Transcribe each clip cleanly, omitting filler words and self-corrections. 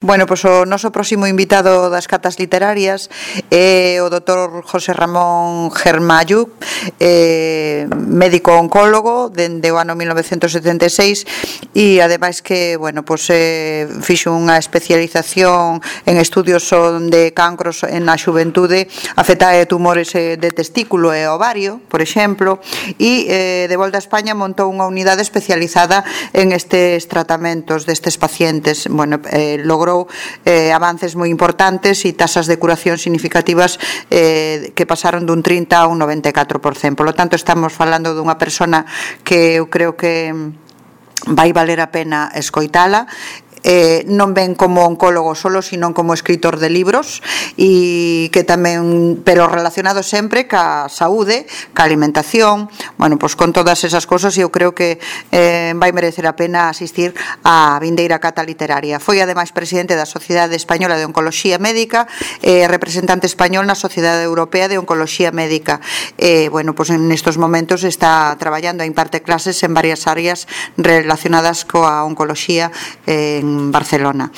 Bueno, pois o noso próximo invitado das catas literarias é o doutor José Ramón Germayuk, médico oncólogo dende o ano 1976 e ademais que, bueno, pois fixo unha especialización en estudios de cancros na xuventude afectada de tumores de testículo e ovario, por exemplo, e de volta a España montou unha unidade especializada en estes tratamentos destes pacientes. Bueno, logrou avances moi importantes e tasas de curación significativas que pasaron dun 30 a un 94%. Por lo tanto, estamos falando dunha persona que eu creo que vai valer a pena escoitala. Non ven como oncólogo solo, sino como escritor de libros e que tamén, pero relacionado sempre ca saúde, ca alimentación, bueno, pois con todas esas cosas. Eu creo que vai merecer a pena asistir á vindeira cata literaria. Foi ademais presidente da Sociedade Española de Oncoloxía Médica e representante español na Sociedade Europea de Oncoloxía Médica. Bueno, pois nestos momentos está traballando e imparte clases en varias áreas relacionadas coa oncoloxía en Barcelona.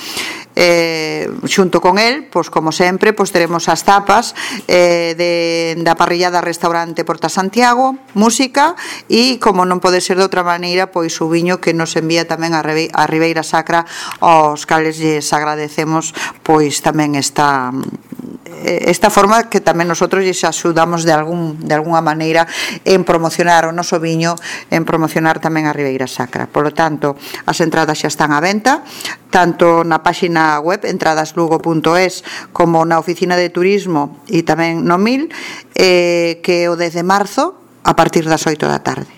Xunto con el, pois como sempre, pois teremos as tapas da parrillada Restaurante Porta Santiago, música e, como non pode ser de outra maneira, pois o viño que nos envía tamén a Ribeira Sacra, aos cales lles agradecemos pois tamén esta forma que tamén nosotros lles axudamos de alguna maneira en promocionar o noso viño, en promocionar tamén a Ribeira Sacra. Por lo tanto, as entradas xa están á venta, tanto na páxina web entradaslugo.es como na oficina de turismo e tamén no 1000, que o 10 de marzo a partir das 8 da tarde.